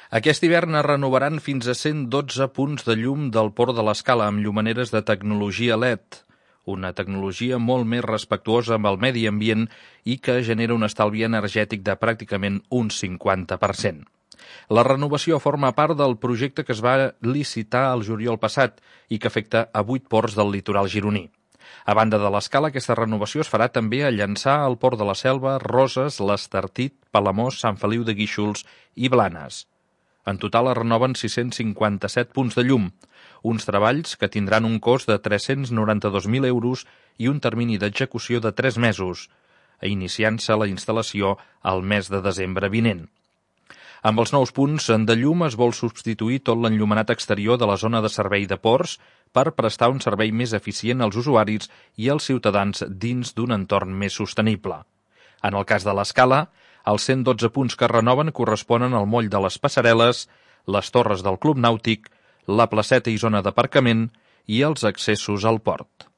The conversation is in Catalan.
Aquest hivern es renovaran fins a 112 punts de llum del Port de l'Escala amb llumaneres de tecnologia LED, una tecnologia molt més respectuosa amb el medi ambient i que genera un estalvi energètic de pràcticament un 50%. La renovació forma part del projecte que es va licitar el juliol passat i que afecta a 8 ports del litoral gironí. A banda de l'Escala, aquesta renovació es farà també a Llançà, al Port de la Selva, Roses, l'Estartit, Palamós, Sant Feliu de Guíxols i Blanes. En total es renoven 657 punts de llum, uns treballs que tindran un cost de 392.000 euros i un termini d'execució de 3 mesos, iniciant-se la instal·lació al mes de desembre vinent. Amb els nous punts de llum es vol substituir tot l'enllumenat exterior de la zona de servei de ports per prestar un servei més eficient als usuaris i als ciutadans dins d'un entorn més sostenible. En el cas de l'Escala, els 112 punts que es renoven corresponen al moll de les Passarel·les, les torres del Club Nàutic, la placeta i zona d'aparcament i els accessos al port.